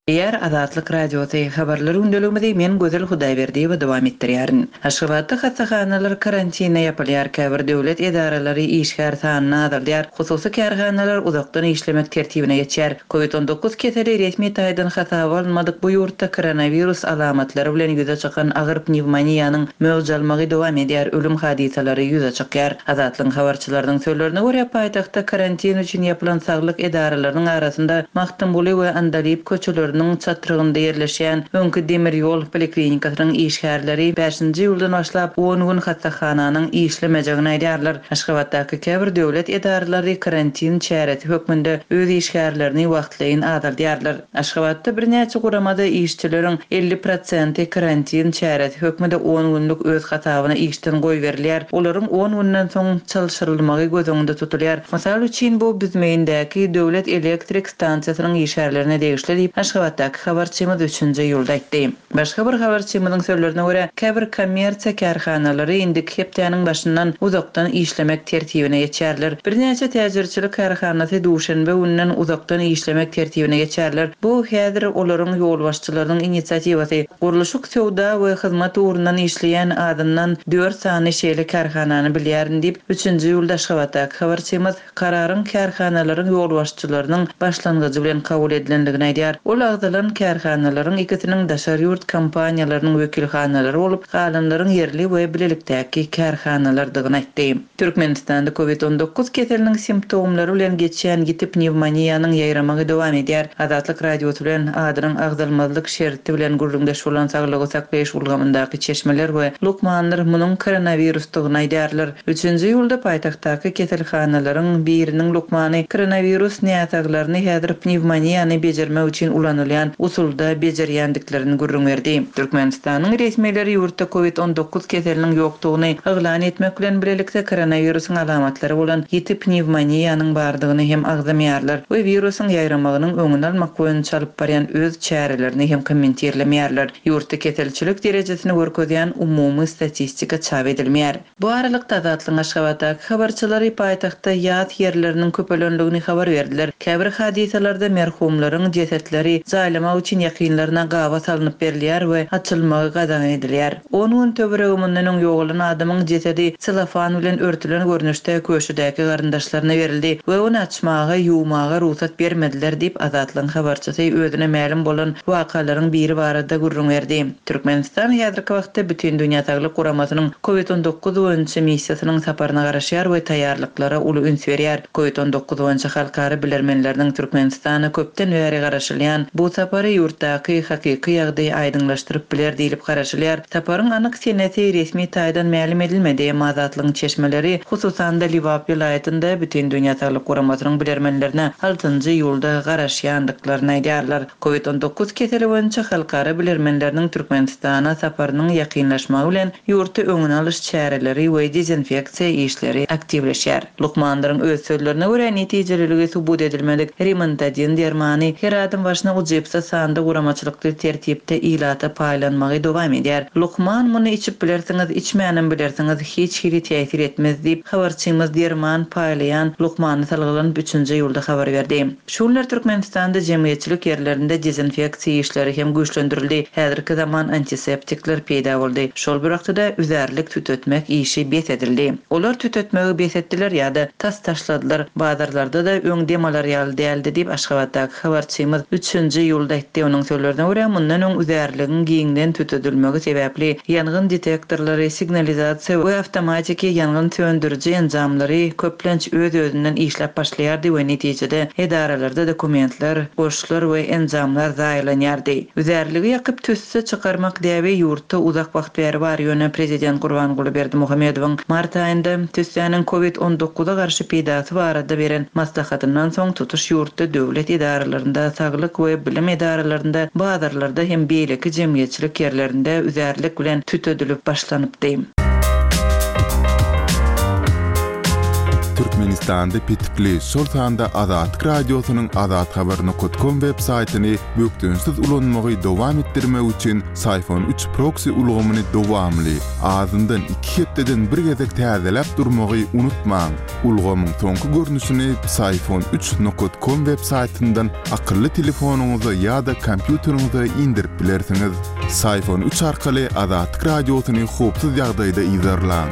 Diýýär Azatlyk Radiosy. Habarlar gündeligimizi men Gözel Hudaýberdiýewa dowam etdirýärin. Aşgabatda hassahanalar karantine ýapylýar, käbir döwlet edaralary işgär sanyny azaldýar, hususy kärhanalar uzakdan işlemek tertibine geçýär. Covid 19 keseli resmi taýdan hasaba alynmadyk bu ýurtda koronawirus alamatlary bilen ýüze çykan agyr pnewmoniýanyň möwç almagy dowam edýär, ölüm hadysalary ýüze çykýar. Azatlygyň habarçylarynyň sözlerine görä, paýtagtda karantin üçin ýapylan saglyk edaralarynyň arasynda Magtymguly we Andalyp köçeleriniň çatrygynda ýerleşýän öňki demir ýol poliklinikasynyň işgärleri bäşinji iýuldan başlap on gün hassahananyň işlemejegini aýdýarlar. Aşgabatdaky käbir döwlet edaralary karantin çäresi hökmünde öz işgärlerini wagtlaýyn azaldýarlar. Aşgabatda birnäçe guramada işçileriň 50 prosenti karantin çäresi hökmünde on günlük öz hasabyna işden goýberilýär. Olaryň on günden soň çalşyrylmagy göz öňünde tutulýar. Mysal üçin, bu Büzmeýindäki döwlet elektrik stansiýasynyň işgärlerine degişli diýip, Aşgabatdaky habarçymyz üçünji iýulda aýtdy. Başga bir habarçymyzyň sözlerine görä, käbir kommersiýa kärhanalary indiki hepdäniň başyndan uzakdan işlemek tertibine geçerler. Birnäçe täjirçilik kärhanasy duşenbe gününden uzakdan işlemek tertibine geçerler. Bu häzir olaryň ýolbaşçylarynyň inisiatiwasy. Gurluşyk, söwda we hyzmat ugrundan işleýän azyndan dört sany şeýle kärhanany bilýärin diýip, üçünji iýulda Aşgabatdaky habarçymyz Kararyň kärhanalaryň ýolbaşçylarynyň başlangyjy bilen kabul edilendigini aýdýar. Ol agzalan kärhanalaryň ikisiniň daşary ýurt kompaniýalarynyň wekilhanalary bolup, galanlaryň ýerli we bilelikdäki kärhanalardygyny aýtdy. Türkmenistanda Covid 19 keseliniň simptomlary bilen geçýän ýiti pnewmoniýanyň ýaýramagy dowam edýär. Azatlyk Radiosy bilen adynyň agzalmazlyk şerti bilen gürrüňdeş bolan saglygy saklaýyş ulgamyndaky çeşmeler we lukmanlar munuň koronawirusdygyny aýdýarlar. Üçünji iýulda paýtagtdaky keselhanalaryň biriniň lukmany koronawirus näsaglaryny häzir pnewmoniýany bejermek üçin ulanylýan usulda bejerýändiklerini gürrüň berdi. Türkmenistanyň resmileri ýurtda covid 19 keseliniň ýokdugyny yglan etmek bilen bilelikde koronawirusyň alamatlary bolan ýiti pnewmoniýanyň bardygyny hem agzamaýarlar we wirusyň ýaýramagynyň öňüni almak boýunça alyp barýan öz çärelerini hem kommentirlemeýärler. Ýurtda keselçilik derejesini görkezýän umumy statistika çap edilmeýär. Bu aralykda, Azatlygyň Aşgabatdaky habarçylary paýtagtda ýas ýerleriniň köpelendigini habar berdiler. Käbir hadysalarda merhumlaryň jesetleri jaýlamak üçin ýakynlaryna gaba salnyp berilýär we açylmagy gadagan edilýär. On gün töweregi mundan öň ýogalan adamyň jesedi selofan bilen örtülen görnüşde köşüdäki garyndaşlaryna berildi we ony açmaga, ýuwmaga rugsat bermediler diýip, Azatlygyň habarçysy özüne mälim bolan wakalaryň biri barada gürrüň berdi. Türkmenistan häzirki wagtda Bütindünýä Saglyk Guramasynyň Covid 19 boýunça missiýasynyň saparyna garaşýar we taýýarlyklara uly üns berýär. Covid 19 boýunça halkara bilermenleriniň Türkmenistana köpden bäri garaşylýan bu sapary ýurtdaky hakyky ýagdaýy aýdyňlaşdyryp biler diýlip garaşylýar. Saparyň anyk senesi resmi taýdan mälim edilmedi, emma Azatlygyň çeşmeleri, hususan-da Lebap welaýatynda Bütindünýä Saglyk Guramasynyň bilermenlerine altynjy iýulda garaşýandyklaryny aýdýarlar. Covid 19 keseli boýunça halkara bilermenleriniň Türkmenistana saparynyň ýakynlaşmagy bilen ýurtda öňüni alyş çäreleri we dezinfeksiýa işleri aktiwleşýär. Lukmanlaryň öz sözlerine görä, netijeliligi subut edilmedik Rimantadin dermany her adam başyna ujypsyz sanda guramaçylykly tertipde ilata paýlanmagy dowam edýär. Lukman muny içip bilersiňiz, içmänem bilersiňiz, hiç hili täsir etmez diýip, habarçymyz derman paýlaýan lukmana salgylanyp üçünji iýulda habar berdi. Şu günler Türkmenistanda jemgyýetçilik ýerlerinde dezinfeksiýa işleri hem güýçlendirildi, häzirki zaman antiseptikler peýda boldy. Şol bir wagtda-da üzärlik tütetmek işi bes edildi. Olar tütetmegi bes etdiler ýa-da tas taşladylar. Bazarlarda-da öň dem alar ýaly däldi diýip, Aşgabatdaky habarçymyz üçünji iýulda aýtdy. Onuň sözlerine görä, mundan öň üzärligiň giňden tütedilmegi sebäpli ýangyn detektorlary, signalizasiýa we awtomatiki ýangyn söndüriji enjamlary köplenç öz-özünden işläp başlaýardy we netijede edaralarda dokumentler, goşlar we enjamlar zaýalanýardy. Üzärligi ýakyp tüsse çykarmak däbi ýurtda uzak wagt bäri bar, ýöne prezident Gurbanguly Berdimuhamedowyň mart aýynda tüssäniň covid 19 a garşy peýdasy barada beren maslahatyndan soň tutuş ýurtda döwlet edaralarynda, saglyk we bilim edaralarynda, bazarlarda hem beýleki jemgyýetçilik ýerlerinde üzärlik bilen tütedilip başlanypdy. Türkmenistanda petikli, şol sanda Azatlyk Radiosynyň azathabar nokat kom web saýtyny bökdençsiz ulanmagy dowam etdirmek üçin Syfon üç proksi ulgamyny dowamly, azyndan iki hepdeden bir gezek täzeläp durmagy unutmaň. Ulgamyň soňky görnüşini Psiphon üç nokat kom web saýtyndan akylly telefonyňyza ýa-da kompýuteriňize indirip bilersiňiz. Psiphon üç arkaly Azatlyk Radiosyny howpsuz ýagdaýda yzarlaň.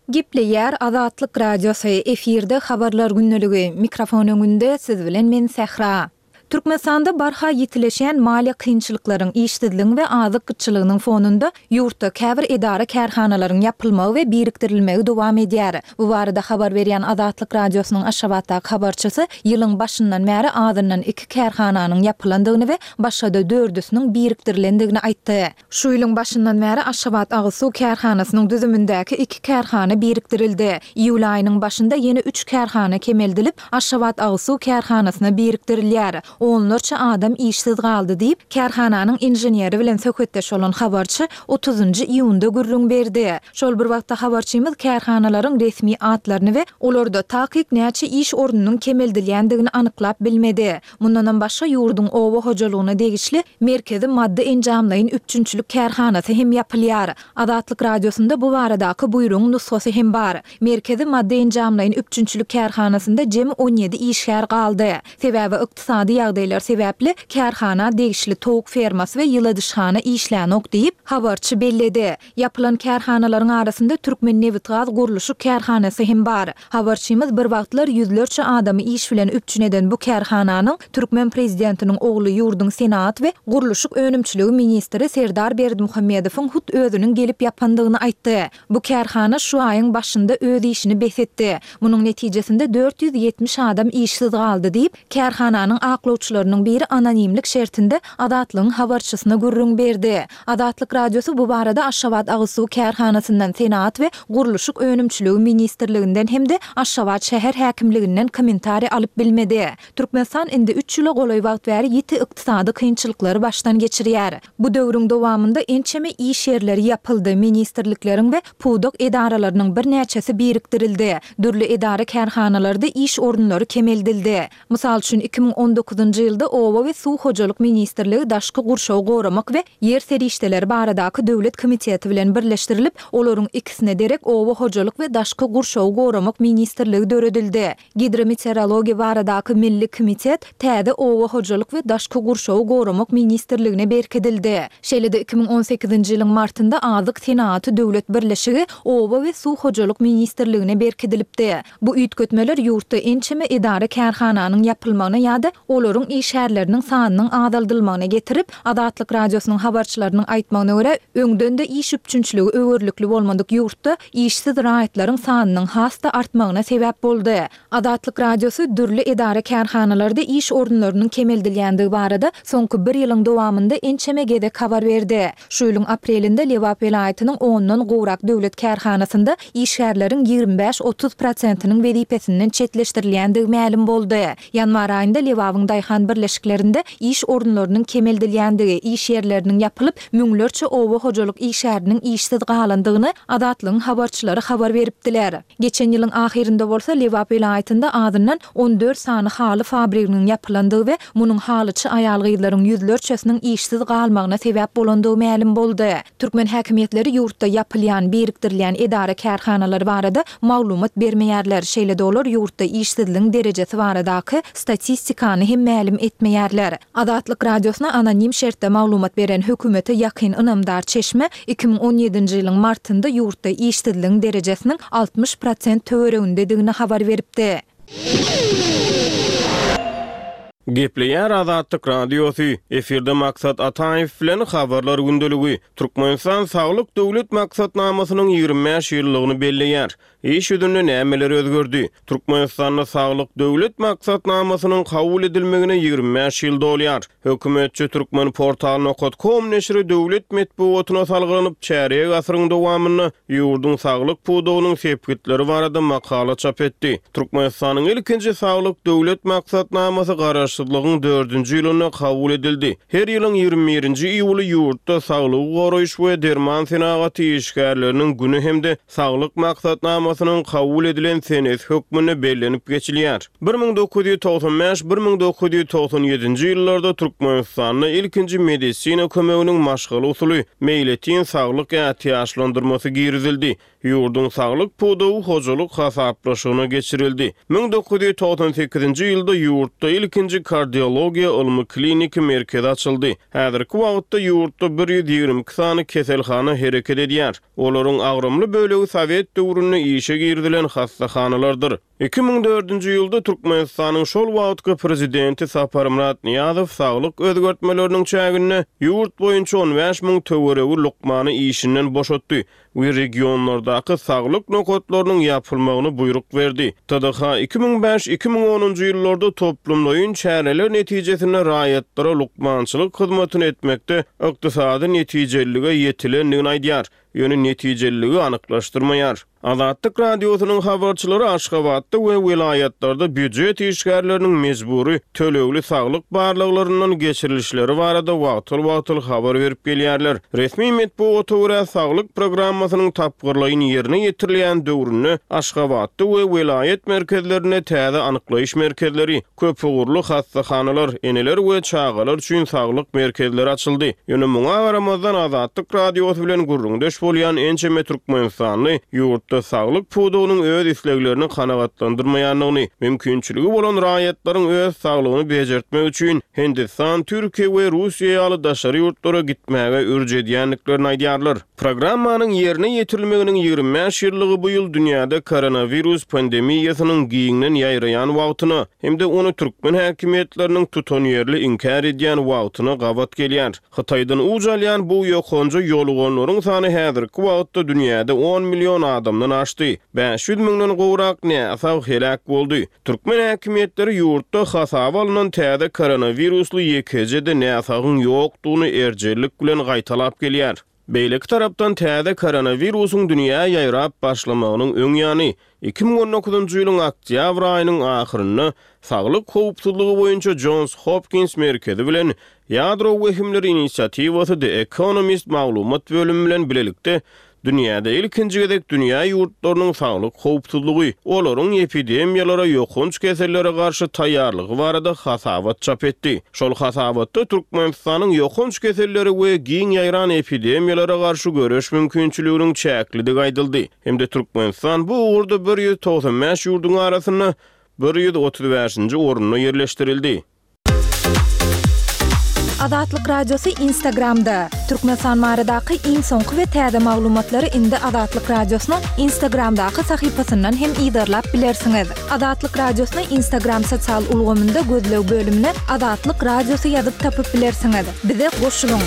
Gepleýär Azatlyk Radiosy, efirde Habarlar gündeligi, mikrofon öňünde siz bilen men Sähra. Türkmenistanda barha ýitileşýän maliýe kynçylyklaryň, işsizligiň we azyk gytçylygynyň fonunda ýurtda käbir edara-kärhanalaryň ýapylmagy we birikdirilmegi dowam edýär. Bu barada habar berýän Azatlyk Radiosynyň Aşgabatdaky habarçysy ýylyň başyndan bäri azyndan iki kärhananyň ýapylandygyny we başga-da dördüsiniň birikdirilendigini aýtdy. Şu ýylyň başyndan bäri Aşgabat agyz suw kärhanasynyň düzümindäki iki kärhana birikdirildi. Iýul aýynyň başynda ýene üç kärhana kemeldilip, Aşgabat agyz suw kärhanasyna birikdirilýär. Onlarça adam işsiz galdy diýip, kärhananyň inženeri bilen söhbetdeş bolan habarçy otuzynjy iýunda gürrüň berdi. Şol bir wagtda habarçymyz kärhanalaryň resmi atlaryny we olarda takyk näçe iş ornunyň kemeldilýändigini anyklap bilmedi. Mundanam başga ýurduň oba hojalygyna degişli Merkezi maddy-enjamlaýyn üpjünçilik kärhanasy hem ýapylýar. Azatlyk Radiosynda bu baradaky buýrugyň nusgasy hem bar. Merkezi maddy-enjamlaýyn üpjünçilik kärhanasynda jemi 17 işgär galdy. Sebäbi ykdysady ýagdaýlar sebäpli kärhana degişli towuk fermasy we ýyladyşhana işlänok diýip, habarçy belledi. Ýapylan kärhanalaryň arasynda Türkmennebitgazgurluşyk kärhanasy hem bar. Habarçymyz bir wagtlar ýüzlerçe adamy iş bilen üpjün eden bu kärhananyň türkmen prezidentiniň ogly ýurduň senagat we gurluşyk önümçiligi ministri Serdar Berdimuhamedowyň hut özüniň gelip ýapandygyny aýtdy. Bu kärhana şu aýyň başynda öz işini bes etdi. Munuň netijesinde 470 adam işsiz galdy diýip, Kärhananyň aklawçylarynyň biri anonimlik şertinde Azatlygyň habarçysyna gürrüň berdi. Azatlyk Radiosy bu barada Aşgabat agyz suw kärhanasyndan, Senagat we gurluşyk önümçiligi ministrliginden hem-de Aşgabat şäher häkimliginden kommentariý alyp bilmedi. Türkmenistan indi üç ýyla golaý wagt bäri ýiti ykdysady kynçylyklary başdan geçirýär. Bu döwrüň dowamynda ençeme iş ýerleri ýapyldy, ministrlikleriň we pudak edaralarynyň birnäçesi birikdirildi, dürli edara-kärhanalarda iş orunlary kemeldildi. Mysal üçin, 2019-njy ýylda Oba we suw hojalyk ministrligi Daşky gurşawy goramak we ýer serişdeleri baradaky döwlet komiteti bilen birleşdirilip, olaryň ikisine derek Oba hojalyk we daşky gurşawy goramak ministrligi döredildi. Gidrometeorologiýa baradaky milli komitet täze Oba hojalyk we daşky gurşawy goramak ministrligine berkidildi. Şeýle-de 2018-nji ýylyň martynda Azyk senagaty döwlet birleşigi Oba we suw hojalyk ministrligine berkidilipdi. Bu üýtgetmeler ýurtda ençeme edara-kärhananyň ýapylmagyna ýa-da olaryň işgärleriniň sanynyň azaldylmagyna getirip, Azatlyk Radiosynyň habarçylarynyň aýtmagyna görä, öňden-de iş üpjünçiligi öwerlikli bolmadyk ýurtda işsiz raýatlaryň sanynyň has-da artmagyna sebäp boldy. Azatlyk Radiosy dürli edara-kärhanalarda iş orunlarynyň kemeldilýändigi barada soňky bir ýylyň dowamynda ençeme gezek habar berdi. Şu ýylyň aprelinde Lebap welaýatynyň ondan gowrak döwlet kärhanasynda işgärleriň 25-30 prosentiniň wezipesinden çetleşdirilýändigi mälim boldy. Ýanwar aýynda Lebabyň daýhan birleşiklerinde iş orunlarynyň kemeldilýändigi, iş ýerleriniň ýapylyp, müňlerçe oba hojalyk işgäriniň işsiz galandygyny Azatlygyň habarçylary habar beripdiler. Geçen ýylyň ahyrynda bolsa Lebap welaýatynda azyndan 14 sany haly fabriginiň ýapylandygy we munuň halyçy aýal-gyzlaryň ýüzlerçesiniň işsiz galmagyna sebäp bolandygy mälim boldy. Türkmen häkimiýetleri ýurtda ýapylýan, birikdirilýän edara-kärhanalar barada maglumat bermeýärler, şeýle-de olar ýurtda işsizligiň derejesi baradaky statistikany hem mälim etmeýärler. Azatlyk Radiosyna anonim şertde maglumat beren hökümete ýakyn ynamdar çeşme 2017-nji ýylyň martynda ýurtda işsizligiň derejesiniň 60 prosent töweregindedigini habar beripdi. Gepleýär Azatlyk Radiosy, efirde Maksat Ataýew bilen Habarlar gündeligi. Türkmenistan Saglyk döwlet maksatnamasynyň 25 ýyllygyny belleýär. Iş ýüzünde nämeler özgerdi? Türkmenistanda Saglyk döwlet maksatnamasynyň kabul edilmegine 25 ýyl dolýar. Hökümetçi Turkmenportal nokat kom neşiri döwlet metbugatyna salgylanyp, çärýek asyryň dowamynda ýurduň saglyk pudagynyň sepgitleri barada makala çap etdi. Türkmenistanyň ilkinji Saglyk döwlet maksatnamasy Garaşsyz. Garaşsyzlygyň dördünji ýylynda kabul edildi. Her ýylyň 21-nji iýuly ýurtda Saglygy goraýyş we derman senagaty işgärleriniň güni hem-de Saglyk maksatnamasynyň kabul edilen senesi hökmünde bellenip geçilýär. 1995, 1997-nji ýyllarda Türkmenistanda ilkinji medisina kömeginiň maşgala usuly, meýletin saglyk ätiýaçlandyrmasy girizildi. Ýurduň saglyk pudagy hojalyk hasaplaşygyna geçirildi. 1998-nji ýylda ýurtda ilkinji kardiologiýa ylmy-kliniki merkezi açyldy. Häzirki wagtda ýurtda 122 sany keselhana hereket edýär. Olaryň agramly bölegi sowet döwründe işe girizilen hassahanalardyr. 2004-nji ýylda Türkmenistanyň şol wagtky Prezidenti Saparmyrat Nyýazow saglyk özgertmeleriniň çäginde ýurt boýunça 15 müň töweregi lukmany işinden boşatdy we regionlardaky saglyk nokatlarynyň ýapylmagyny buýruk berdi. TDH 2005, 2010-njy ýyllarda toplumlaýyn çäreler netijesinde raýatlara lukmançylyk hyzmatyny etmekde ykdysady netijelilige ýetilendigini aýdýar. ýöne netijeliligi anyklaşdyrmaýar. Azatlyk Radiosynyň habarçylary Aşgabatda we welaýatlarda býujet işgärleriniň mejbury tölegli saglyk barlaglaryndan geçirilişleri barada wagtal-wagtal habar berip gelýärler. Resmi metbugata görä, saglyk programmasynyň tapgyrlaýyn ýerine ýetirilýän döwründe Aşgabatda we welaýat merkezlerinde täze anyklaýyş merkezleri, Köpugurly hassahanalar, eneler we çagalar üçin saglyk merkezleri açyldy. Ýöne muňa garamazdan, Azatlyk Radiosy bilen gürrüňdeş bolýan ençeme türkmenistanly ýurtda saglyk pudagynyň öz isleglerini kanagatlandyrmaýandygyny, mümkinçiligi bolan raýatlaryň öz saglygyny bejertmek üçin Hindistan, Türkiýe we Russiýa ýaly daşary ýurtlara gitmäge ürç edýändiklerini aýdýarlar. Programmanyň ýerine ýetirilmeginiň 25 ýyllygy bu ýyl dünýäde koronawirus pandemiýasynyň giňden ýaýraýan wagtyna hem-de ony türkmen häkimiýetleriniň tutanýerli inkär edýän wagtyna gabat gelýär. Hytaýdan uç alýan bu ýokanja ýoluganlaryň sany häzirki wagtda dünýäde on million adamdan aşdy, 500 müňden gowrak näsag heläk boldy. Türkmen häkimiýetleri ýurtda hasaba alnan täze koronawirusly ýekeje-de näsagyň ýokdugyny erjellik bilen gaýtalap gelýär. Beýleki tarapdan, täze koronawirusyň dünýä ýaýrap başlamagynyň öň ýany, 2019-njy ýylyň oktýabr aýynyň ahyrynda Saglyk howpsuzlygy boýunça Jons Hopkins merkezi bilen Ýadro wehimleri inisiatiwasy The Economist maglumat bölümi bilen bilelikde Dünýäde ilkinji gezek dünýä ýurtlarynyň saglyk howpsuzlygy, olaryň epidemiýalara, ýokanç kesellere garşy taýýarlygy barada hasabat çap etdi. Şol hasabatda Türkmenistanyň ýokanç keselleri we giň ýaýran epidemiýalara garşy göreş mümkinçiliginiň çäklidigi aýdyldy hem-de Türkmenistan bu ugurda 195 ýurduň arasynda 135-nji orunda ýerleşdirildi. Azatlyk Radiosy Instagramda, Türkmenistan baradaky iň soňky we täze maglumatlary indi Azatlyk Radiosynyň Instagramdaky sahypasyndan hem yzarlap bilersiňiz. Azatlyk Radiosyny Instagram sosial ulgamynda gözleg bölümine Azatlyk Radiosy ýazyp tapyp bilersiňiz. Bize goşulyň!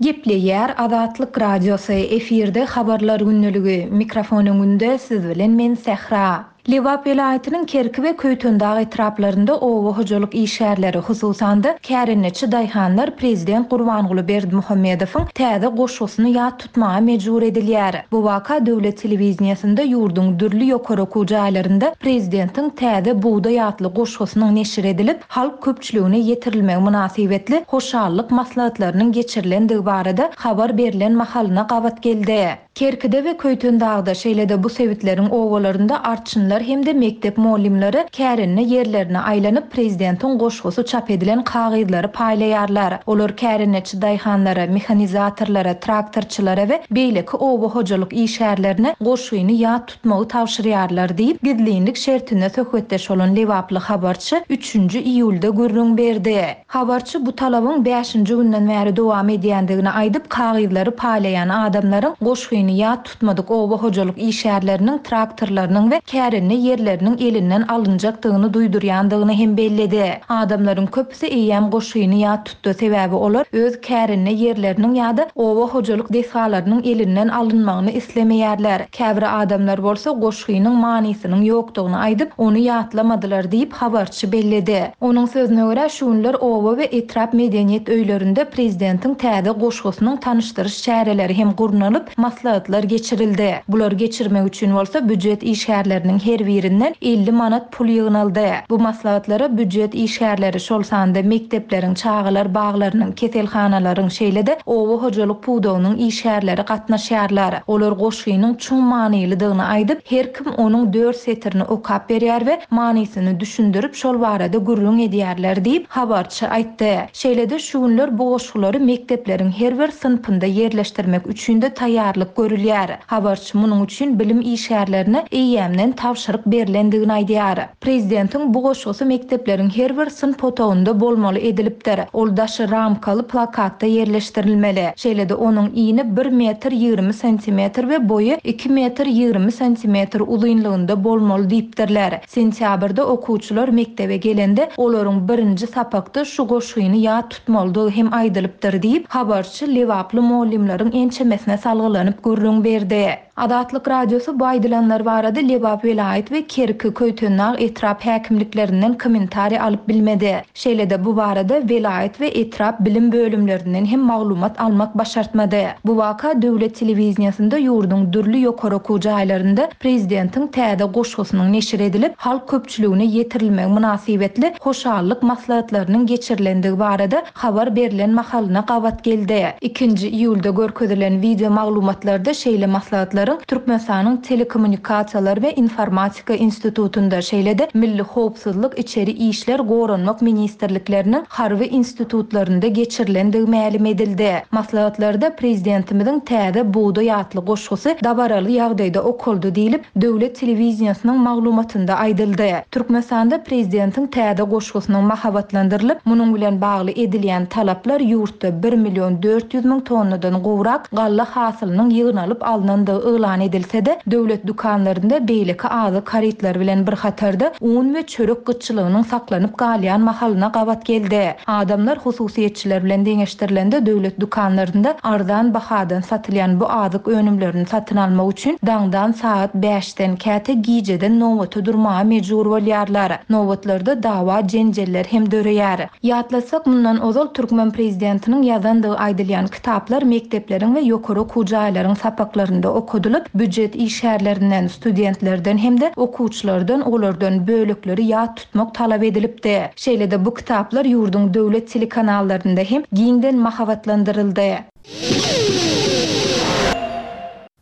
Gepleýär Azatlyk Radiosy, efirde Habarlar gündeligi, mikrofon öňünde siz bilen men Sähra. Lebap welaýatynyň Kerki we Köýtendag etraplarynda oba hojalyk işgärleri, hususan-da, kärendeçi daýhanlar prezident Gurbanguly Berdimuhamedowyň täze goşgusyny ýat tutmaga mejbur edilýär. Bu waka döwlet telewideniýesinde ýurduň dürli ýokary okuw jaýlarynda prezidentiň Täze bugdaý atly goşgusynyň neşir edilip, halk köpçüligine ýetirilmegi mynasybetli hoşallyk maslahatlarynyň geçirilendigi barada habar berlen mahalyna gabat geldi. Kerkide we Köýtendagda, şeýle-de bu sebitleriň obalarynda arçynlar hem-de mekdep mugallymlary kärende ýerlerine aýlanyp, prezidentiň goşgusy çap edilen kagyzlary paýlaýarlar. Olar kärendeçi daýhanlara, mehanizatorlara, traktorçylara we beýleki oba hojalyk işgärlerine goşgyny ýat tutmagy tabşyrýarlar diýip, gizlinlik şertinde söhbetdeş bolan lebaply habarçy üçünji iýulda gürrüň berdi. Habarçy bu talabyň bäşinji günden bäri dowam edýändigini aýdyp, kagyzlary paýlaýan adamlaryň goşgyny ýat tutmadyk oba hojalyk işgärleriniň traktorlarynyň we kärende ýerleriniň elinden alynjakdygyny duýdurýandygyny hem belledi. Adamlaryň köpüsi eýýäm goşgyny ýat tutdy, sebäbi olar öz kärende ýerleriniň ýa-da oba hojalyk desgalarynyň elinden alynmagyny islemeýärler. Käbir adamlar bolsa goşgynyň manysynyň ýokdugyny aýdyp, ony ýatlamadylar diýip, habarçy belledi. Onuň sözüne görä, şu günler oba we etrap medeniýet öýlerinde prezidentiň täze goşgusynyň tanyşdyryş çäreleri hem gurnalyp, maslahatlar. maslahatlar geçirildi. Bulary geçirmek üçin bolsa býujet işgärleriniň her birinden 50 manat pul ýygnaldy. Bu maslahatlara býujet işgärleri, şol sanda mekdepleriň, çagalar baglarynyň, keselhanalaryň, şeýle-de oba hojalyk pudagynyň işgärleri gatnaşýarlar. Olar goşgynyň çuň manylydygyny aýdyp, her kim onuň dört setirini okap berýär we manysyny düşündirip, şol barada gürrüň edýärler diýip, habarçy aýtdy. Şeýle-de şu günler bu goşgulary mekdepleriň her bir synpynda ýerleşdirmek üçin-de taýýarlyk görülýär. Habarçy munuň üçin bilim işgärlerine eýýämden tabşyryk berlendigini aýdýar. Prezidentiň bu goşgusy mekdepleriň her bir synp otagynda bolmaly edilipdir. Ol daşy ramkaly plakatda ýerleşdirilmeli. Şeýle-de onuň ini bir metr 20 santimetr we boýy iki metr 20 santimetr uzynlygynda bolmaly diýipdirler. Sentýabrda okuwçylar mekdebe gelende, olaryň birinji sapakda şu goşgyny ýat tutmalydygy hem aýdylypdyr diýip, habarçy lebaply mugallymlaryň ençemesine salgylanyp gürrüň berdi. Azatlyk Radiosy bu aýdylanlar barada Lebap welaýat we Kerki, Köýtendag etrap häkimliklerinden kommentariý alyp bilmedi. Şeýle-de bu barada welaýat we etrap bilim bölümlerinden hem maglumat almak başartmady. Bu waka döwlet telewideniýesinde ýurduň dürli ýokary okuw jaýlarynda prezidentiň täze goşgusynyň neşir edilip, halk köpçüligine ýetirilmegi mynasybetli hoşallyk maslahatlarynyň geçirilendigi barada habar berlen mahalyna gabat geldi. Ikinji iýulda görkezilen wideo maglumatlarda şeýle maslahatlaryň Türkmenistanyň Telekommunikasiýalar we informatika Statistika institutynda, şeýle-de Milli howpsuzlyk, Içeri işler, Goranmak ministrlikleriniň harby institutlarynda geçirilendigi mälim edildi. Maslahatlarda Prezidentimiziň Täze bugdaý atly goşgusy dabaraly ýagdaýda okaldy diýlip, döwlet telewideniýesiniň maglumatynda aýdyldy. Türkmenistanda Prezidentiň täze goşgusynyň mahabatlandyrylyp, munuň bilen bagly edilýän talaplar ýurtda bir million 400 müň tonnadan gowrak galla hasylynyň ýygnalyp alnandygy yglan edilse-de, döwlet dükanlarynda beýleki azyk harytlary bilen bir hatarda un we çörek gytçylygynyň saklanyp galýan mahalyna gabat geldi. Adamlar hususyýetçiler bilen deňeşdirilende döwlet dükanlarynda arzan bahadan satylýan bu azyk önümlerini satyn almak üçin daňdan sagat bäşden, käte gijeden nobata durmaga mejbur bolýarlar. Nobatlarda dawa-jenjeller hem döreýär. Ýatlatsak, mundan ozal türkmen prezidentiniň ýazandygy aýdylýan kitaplar mekdepleriň we ýokary okuw jaýlaryň sapaklarynda okadylyp, býujet işgärlerinden, studentlerden hem-de okuwçylardan olardan bölekleri ýat tutmak talap edilipdi. Şeýle-de bu kitaplar ýurduň döwlet telekanallarynda hem giňden mahabatlandyryldy.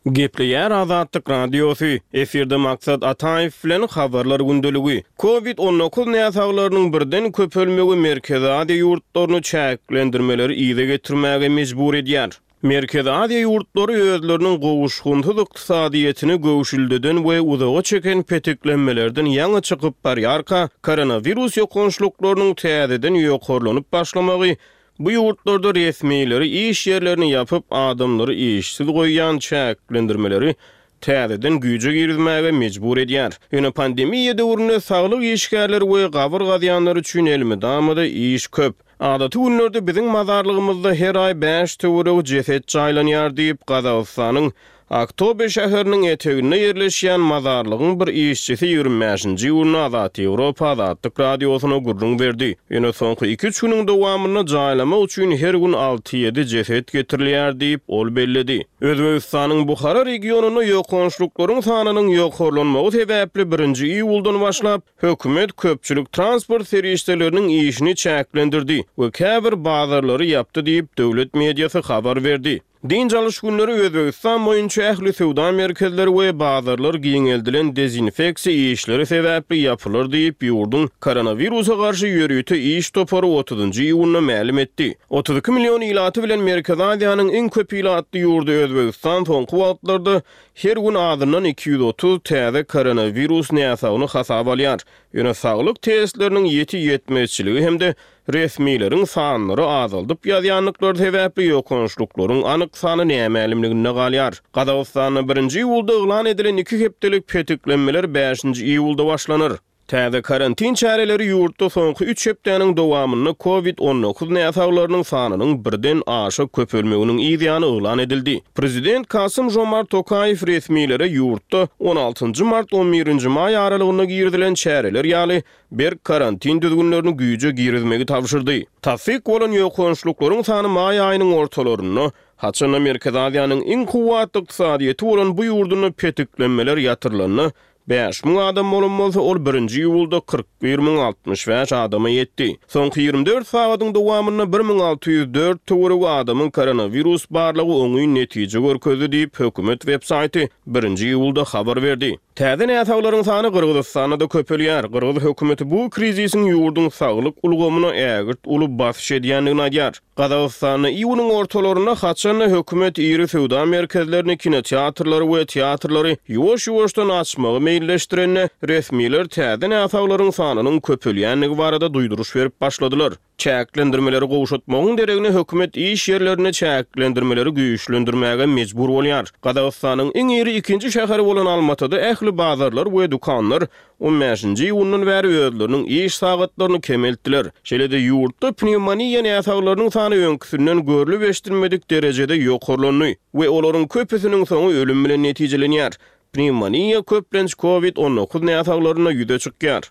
Gepleýär Azatlyk Radiosy, Efirde Maksat Ataýew bilen Habarlar gündeligi. Covid 19 näsaglarynyň birden köpelmegi Merkezi Aziýa ýurtlaryny çäklendirmeleri yza getirmäge mejbur edýär. Merkezi Aziýa ýurtlary özleriniň gowuşgynsyz ykdysadyýetini göwşüldeden we uzaga çeken petiklenmelerden ýaňy çykyp barýarka, koronawirus ýokançlyklarynyň täzeden ýokarlanyp başlamagy Bu ýurtlarda resmileri iş ýerlerini ýapyp, adamlary işsiz goýýan çäklendirmeleri täzeden güýje girizmäge mejbur edýär. Ýöne pandemiýa döwründe saglyk işgärleri we gabyr gazýanlar üçin elmydama-da iş köp. Adaty günlerde biziň mazarlygymyzda her aý bäş töweregi jeset jaýlanýar diýip, Gazagystanyň Aktobe şäheriniň eteginde ýerleşýän mazarlygyň bir işçisi 25-nji iýunda Azat Ýewropa Azatlyk Radiosyna gürrüň berdi. Ýöne soňky iki-üç günüň dowamynda jaýlamak üçin her gün alty-ýedi jeset getirilýär diýip, ol belledi. Özbegistanyň Buhara regionynda ýokançlyklaryň sanynyň ýokarlanmagy sebäpli birinji iýuldan başlap, hökümet köpçülik transport serişdeleriniň işini çäklendirdi we käbir bazarlary ýapdy diýip, döwlet mediasy habar berdi. Dynç alyş günleri Özbegistan boýunça ähli söwda merkezleri we bazarlar giňeldilen dezinfeksiýa işleri sebäpli ýapylar diýip, ýurduň koronawirusa garşy ýörite iş topary otuzynjy iýunda mälim etdi. 32 million ilaty bilen Merkezi Aziýanyň iň köp ilatly ýurdy Özbegistan soňky wagtlarda her gün azyndan 230 täze koronawirus näsagyny hasaba alýar. Ýöne saglyk testleriniň ýiti ýetmezçiligi hem-de Resmileriň sanlary azaldyp ýazýandyklary sebäpli ýokançlyklaryň anyk sany nämälimliginde galýar. Gazagystanda birinji iýulda yglan edilen iki hepdelik petiklenmeler bäşinji iýulda başlanar. Täze karantin çäreleri ýurtda soňky üç hepdäniň dowamynda Covid 19 näsaglarynyň sanynyň birden aşa köpelmeginiň yz ýany yglan edildi. Prezident Kasym-Žomart Tokaýew resmilere ýurtda on altynjy mart-on birinji maý aralygynda girizilen çäreler ýaly berk karantin düzgünlerini güýje girizmegi tabşyrdy. Tassyk bolan ýokançlyklaryň sany maý aýynyň ortalarynda Haçanda Merkezi Aziýanyň iň kuwwatly ykdysadyýeti bolan bu ýurdunda petiklenmeler ýatyrylanda, 5000 adam bolan bolsa, ol birinji iýulda 41 065 adama ýetdi. Soňky 24 sagadyň dowamynda 1604 töweregi adamyň koronawirus barlagy oňyn netije görkezdi diýip, hökümet websaýty birinji iýulda habar berdi. Täze näsaglaryň sany Gyrgyzystanda-da köpelýär. Gyrgyz hökümeti bu krizisiň ýurduň saglyk ulgamyna ägirt uly basyş edýändigini aýdýar. Gazagystanda iýunyň ortalarynda haçan-da hökümet iri söwda merkezlerini, kinoteatrlary we teatrlary ýuwaş-ýuwaşdan açmagy meýilleşdirende, resmiler täze näsaglaryň sanynyň köpelýändigi barada duýduryş berip başladylar. Çäklendirmeleri gowşatmagyň deregine hökümet iş ýerlerinde çäklendirmeleri güýçlendirmäge mejbur bolýar. Gazagystanyň iň iri ikinji şäheri bolan Almatyda ähli bazarlar we dükanlar on bäşinji iýundan bäri özleriniň iş sagatlaryny kemeltdiler. Şeýle-de ýurtda pnewmoniýa näsaglarynyň sany öňküsinden görlüp-eşidilmedik derejede ýokarlandy we olaryň köpüsiniň soňy ölüm bilen netijelenýär. Pnewmoniýa köplenç covid 19 näsaglarynda ýüze çykýar.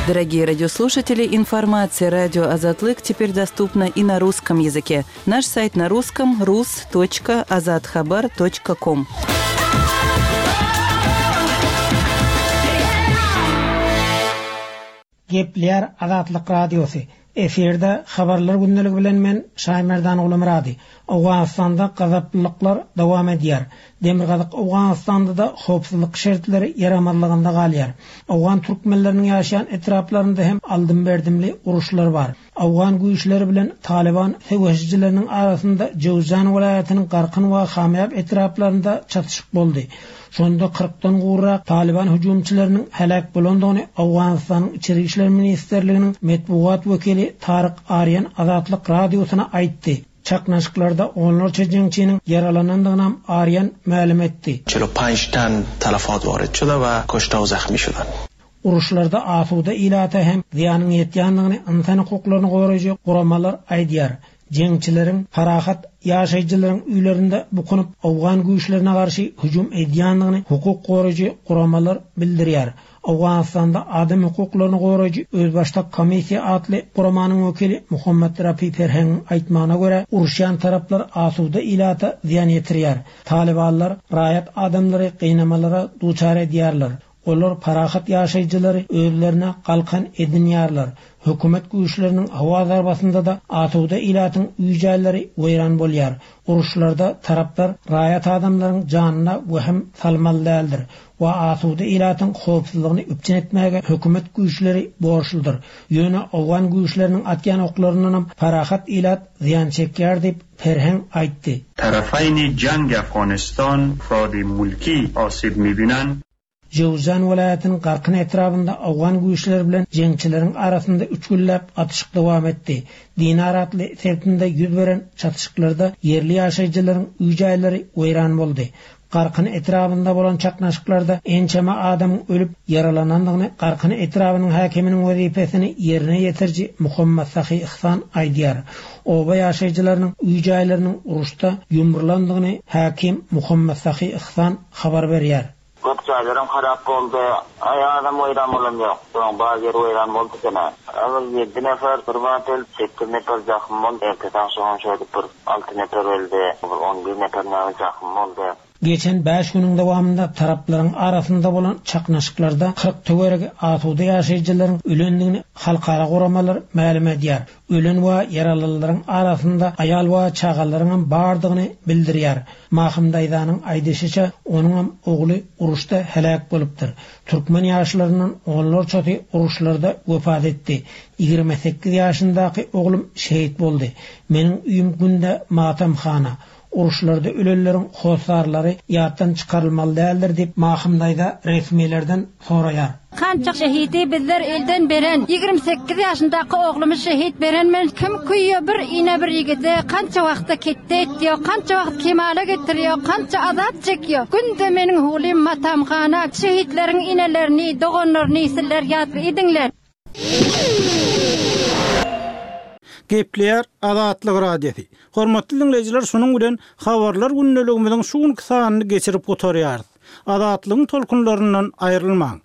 Дорогие радиослушатели, информация радио Азатлык теперь доступна и на русском языке. Наш сайт на русском rus.azathabar.com. Gepleýär Azatlyk Radiosy, Efirde Habarlar gündeligi bilen men Şaýmerdan Gulumyrady. Owganystanda gazaplylyklar dowam edýär. Demirgazyk Owganystanda-da howpsuzlyk şertleri ýaramazlygynda galýar. Owgan türkmenleriniň ýaşaýan etraplarynda hem aldym-berdimli uruşlar bar. Owgan güýçleri bilen Talyban söweşijileriniň arasynda Jöwzjan welaýatynyň Garkyn we Hamýap etraplarynda çatyşyk boldy. Şonda kyrkdan gowrak Talyban hüjümçileriniň heläk bolandygyny Owganystanyň Içeri işler ministrliginiň metbugat wekili Taryk Arýan Azatlyk Radiosyna aýtdy. Çaknyşyklarda onlarça jeňçiniň ýaralanandygynam Arýan mälim etdi. 45 ten talafat warid şude we kuşte we zahmi şudan. Uruşlarda asuda ilata hem zyýanyň ýetýändigini ynsan hukuklaryny goraýjy guramalar aýdýar. Jeňçileriň parahat ýaşaýjylaryň öýlerinde bukunyp, owgan güýçlerine garşy hüjüm edýändigini hukuk goraýjy guramalar bildirýär. Owganystanda adam hukuklaryny goraýjy Özbaşdak komissiýa atly guramanyň wekili Muhammad Rafi Ferhengiň aýtmagyna görä, uruşýan taraplar asuda ilata zyýan ýetirýär. Talybanlar raýat adamlary gynamalara duçar edýärler. Olar parahat ýaşaýjylary özlerine galkan edinýärler. Hökümet güýçleriniň howa zarbasynda-da asuda ilatyň öý-jaýlary weýran bolýar. Uruşlarda taraplar raýat adamlaryň janyna wehim salmaly däldir we asuda ilatyň howpsuzlygyny üpjün etmäge hökümet güýçleri borçludyr. Ýöne owgan güýçleriniň atýan oklaryndanam parahat ilat zyýan çekýär diýip, Perheň aýtdy. Tarafaýni jang Afganistan afradi mulki asib mibinan. Jöwzjan welaýatynyň Garkyn etrabynda owgan güýçleri bilen jeňçileriň arasynda üç günläp atyşyk dowam etdi. Dinar atly sebitinde ýüz beren çatyşyklarda ýerli ýaşaýjylaryň öý-jaýlary weýran boldy. Garkyn etrabynda bolan çaknaşyklarda ençeme adamyň ölüp, ýaralanandygyny Garkyn etrabynyň häkiminiň wezipesini ýerine ýetiriji Muhammat Sahy Ihsan aýdýar. Oba ýaşaýjylarynyň öý-jaýlarynyň uruşda ýumrulandygyny häkim Muhammat Sahy Ihsan habar berýär. Köp jaýlaram harap boldy. Aý azam weýran bolan ýok. Soň bar ýeri weýran boldy eken-ä. Agyr ýedi nefer bir bat öldi, sekiz nefer jahym boldy. Ertesi agşamam şeýdip bir alty nefer öldi. Bir on bir nefer näme jahym boldy. Geçen bäş günüň dowamynda taraplaryň arasynda bolan çaknyşyklarda 40 töweregi asuda ýaşaýjylaryň ölendigini halkara guramalar mälim edýär. Ölen we ýaralylaryň arasynda aýal we çagalaryňam bardygyny bildirýär. Mahym daýzanyň aýdyşyça, onuňam ogly uruşda heläk bolupdyr. Türkmen ýaşlaryndan onlarçasy uruşlarda wepat etdi. 28 ýaşyndaky oglum şehit boldy. Meniň öýüm günde matamhana. Uruşlarda ölenleriň hossarlary ýatdan çykarylmaly däldir diýip, Mahym daýza resmilerden soraýar. Kança şehidi bizler elden beren 28 ýaşyndaky oglumy şehit beren men kim küýe bir ine bir ýigide kança wagtda ketde etýo kança wagt kemala getirýo kança azap çekýo günde meniň hulym matamhana şehitleriň inelerini doganlaryny sizler ýatly ediňler. Gepleýär Azatlyk Radiosy. Hormatly diňleýjiler şunuň bilen Habarlar gündeligimiziň şu günki sanyny geçirip gutarýarys. Azatlygyň tolkunlaryndan aýrylmaň.